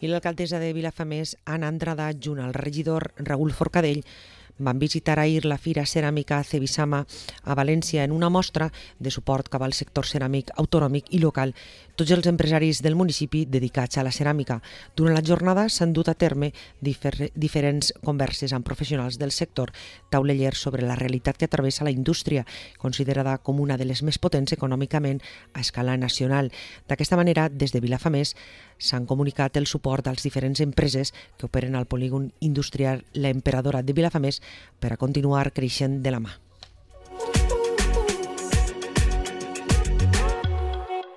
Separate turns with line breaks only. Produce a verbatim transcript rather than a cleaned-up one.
i l'alcaldessa de Vilafamés, Anna Andrada, junt al regidor Raül Forcadell, van visitar ahir la Fira Ceràmica Cebisama a València en una mostra de suport cap al sector ceràmic autonòmic i local, tots els empresaris del municipi dedicats a la ceràmica. Durant la jornada s'han dut a terme difer diferents converses amb professionals del sector, taulellers sobre la realitat que travessa la indústria, considerada com una de les més potents econòmicament a escala nacional. D'aquesta manera, des de Vilafamés s'han comunicat el suport als diferents empreses que operen al polígon industrial La Emperadora de Vilafamés per a continuar creixent de la mà.